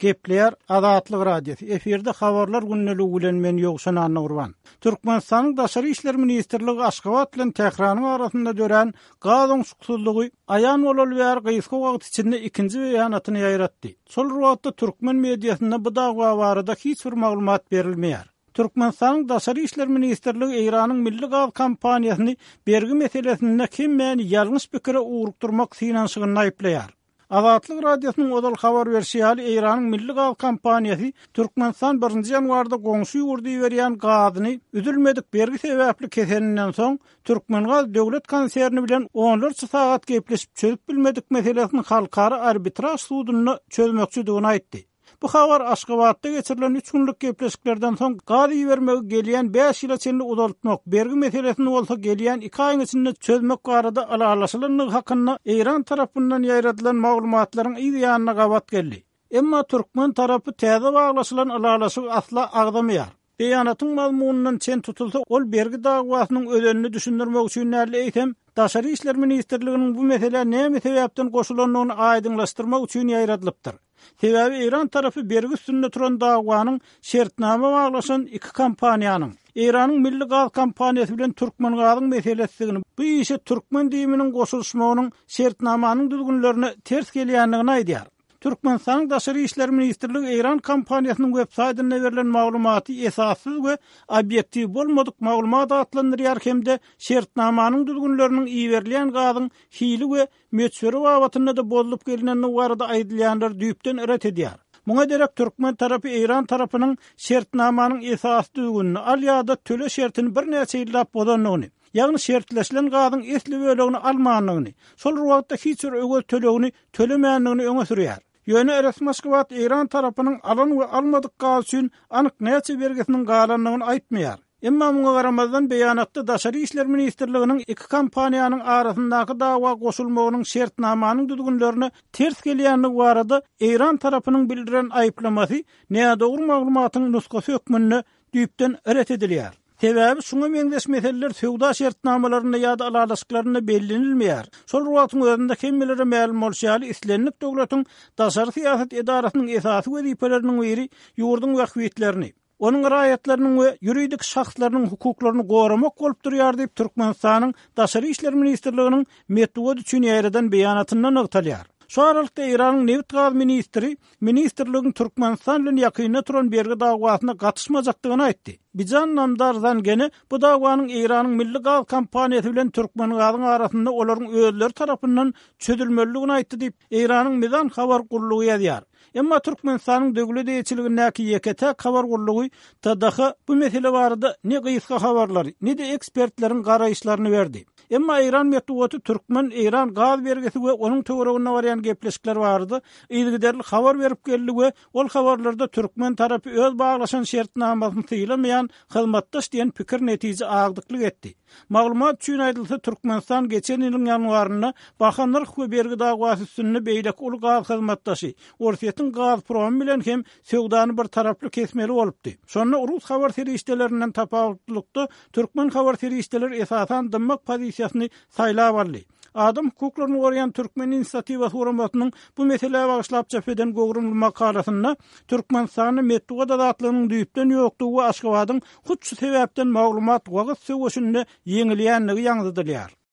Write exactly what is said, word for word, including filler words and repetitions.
Gepleýär Azatlyk Radiosy. Efirde habarlar gündeligi bilen men Ýowşan Annagurban. Türkmenistanyň Daşary işler ministrligi Aşgabat bilen Tähranyň arasynda dörän gaz oňşuksyzlygy aýan bolaly bäri gysga wagt içinde ikinji beýanatyny ýaýratdy. Şol bir wagtda türkmen mediasynda bu dawa barada hiç bir maglumat berilmeýär. Türkmenistanyň Daşary işler ministrligi Eýranyň Milli gaz kompaniýasyny bergi meselesinde hemmäni ýalňyş pikire ugrukdurmak synanyşygynda aýyplaýar. Azatlyk Radiosynyň ozal habar berşi ýaly, Eýranyň Milli gaz kompaniýasy Türkmenistan birinji ýanwarda goňşy ýurda iberýän gazyny üzülmedik bergi sebäpli keseninden soň, Türkmengaz döwlet konserni bilen onlarça sagat gepleşip çözüp bilmedik meselesini halkara arbitraž sudunda çözmekçidigini aýtdy. Bu habar Aşgabatda geçirilen üç günlük gepleşiklerden soň gaz ibermegi gelýän bäş ýyla çenli uzaltmak, bergi meselesini bolsa gelýän iki aýyň içinde çözmek barada ylalaşylandygy hakynda Eýran tarapyndan ýaýradylan maglumatlaryň yz ýanyna gabat geldi. Emma türkmen tarapy täze baglaşylan ylalaşygy asla agzamaýar. Beýanatyň mazmunyndan çen tutulsa, ol bergi dawasynyň özenini düşündirmek üçin däl, eýsem, Daşary işler ministrliginiň bu meselä näme sebäpden goşulandygyny aýdyňlaşdyrmak üçin ýaýradylypdyr. Sebäbi Eýran tarapy bergi üstünde turan dawanyň şertnama baglaşan iki kompaniýanyň, Eýranyň Milli gaz kompaniýasy bilen Türkmengazyň meselesidigini, bu işe türkmen düýüminiň goşulyşmagynyň şertnamanyň düzgünlerine ters gelýändigini aýdýar. Türkmenistanyň Daşary işler ministrligi Eýran kompaniýasynyň web saýtynda berlen maglumaty esassyz we obýektiw bolmadyk maglumat atlandyrýar hem-de şertnamanyň düzgünleriniň iberilýän gazyň hili we möçberi babatynda-da bozulyp gelinendigi barada aýdylýanlary düýpden ret edýär. Muňa derek türkmen tarapy Eýran tarapynyň şertnamanyň esasy düzgünini al ýa-da töle şertini birnäçe ýyllap bozandygyny, ýagny şertleşilen gazyň esli bölegini almandygyny, şol bir wagtda hiç bir öwez tölegini tölemändigini öňe sürýär. Ýöne resmi Aşgabat Eýran tarapynyň alan we almadyk gaz üçin anyk näçe bergisiniň galandygyny aýtmaýar. Emma muňa garamazdan beýanatda Daşary işler ministrliginiň iki kompaniýanyň arasyndaky dawa goşulmagynyň şertnamanyň düzgünlerine ters gelýändigi barada Eýran tarapynyň bildiren aýyplamasy nädogry maglumatyň nusgasy hökmünde düýpden ret edilýär. Sebäbi şuňa meňzeş meseleler söwda şertnamalarynda ýa-da ylalaşyklarynda bellenilmeýär. Şol bir wagtyň özünde hemmelere mälim bolşy ýaly, islendik döwletiň daşary syýasat edarasynyň esasy wezipeleriniň biri ýurduň bähbitlerini, onuň raýatlarynyň we ýuridik şahslarynyň hukuklaryny goramak bolup durýar diýip, Türkmenistanyň Daşary işler ministrliginiň metbugat üçin ýaýradan beýanatynda nygtalýar. Şu aralykda Eýranyň nebit-gaz ministri ministrligiň Türkmenistan bilen ýakynda turan bergi dawasyna gatyşmajakdygyny aýtdy. Bijan Namdar Zangene bu dawanyň Eýranyň Milli gaz kompaniýasy bilen Türkmengazyň arasynda olaryň özleri tarapyndan çözülmelidigini aýtdy diýip, Eýranyň Mizan habar gullugy ýazýar. Emma Türkmenistanyň döwlet eýeçiligindäki ýeke-täk habar gullugy T D H bu mesele barada ne gysga habarlary, ne-de ekspertleriň garaýyşlaryny berdi. Emma Eýran metbugaty türkmen-eýran gaz bergisi we onuň töwereginde barýan gepleşikler barada yzygiderli habar berip geldi we ol habarlarda türkmen tarapy öz baglaşan şertnamasyny sylamaýan hyzmatdaş diýen pikir netije agdyklyk etdi. Maglumat üçin aýdylsa, Türkmenistan geçen ýylyň ýanwarynda baha nyrh we bergi dawasy üstünde beýleki uly gaz hyzmatdaşy Orsýetiň Gazprom bilen hem söwdany bir taraply kesmeli bolupdy. Şonda rus habar serişdelerinden tapawutlylykda türkmen habar serişdeleri esasan dymmak pozisiýasyny saýlap aldy. Adam hukuklaryny goraýan Türkmen inisiatiwasy guramasynyň bu meselä bagyşlap çap eden göwrümli makalasynda Türkmenistanda metbugat azatlygynyň düýpden ýokdugy we Aşgabadyň hut şu sebäpden maglumat wagyz söweşinde ýeňilýändigi ýaňzydylýar.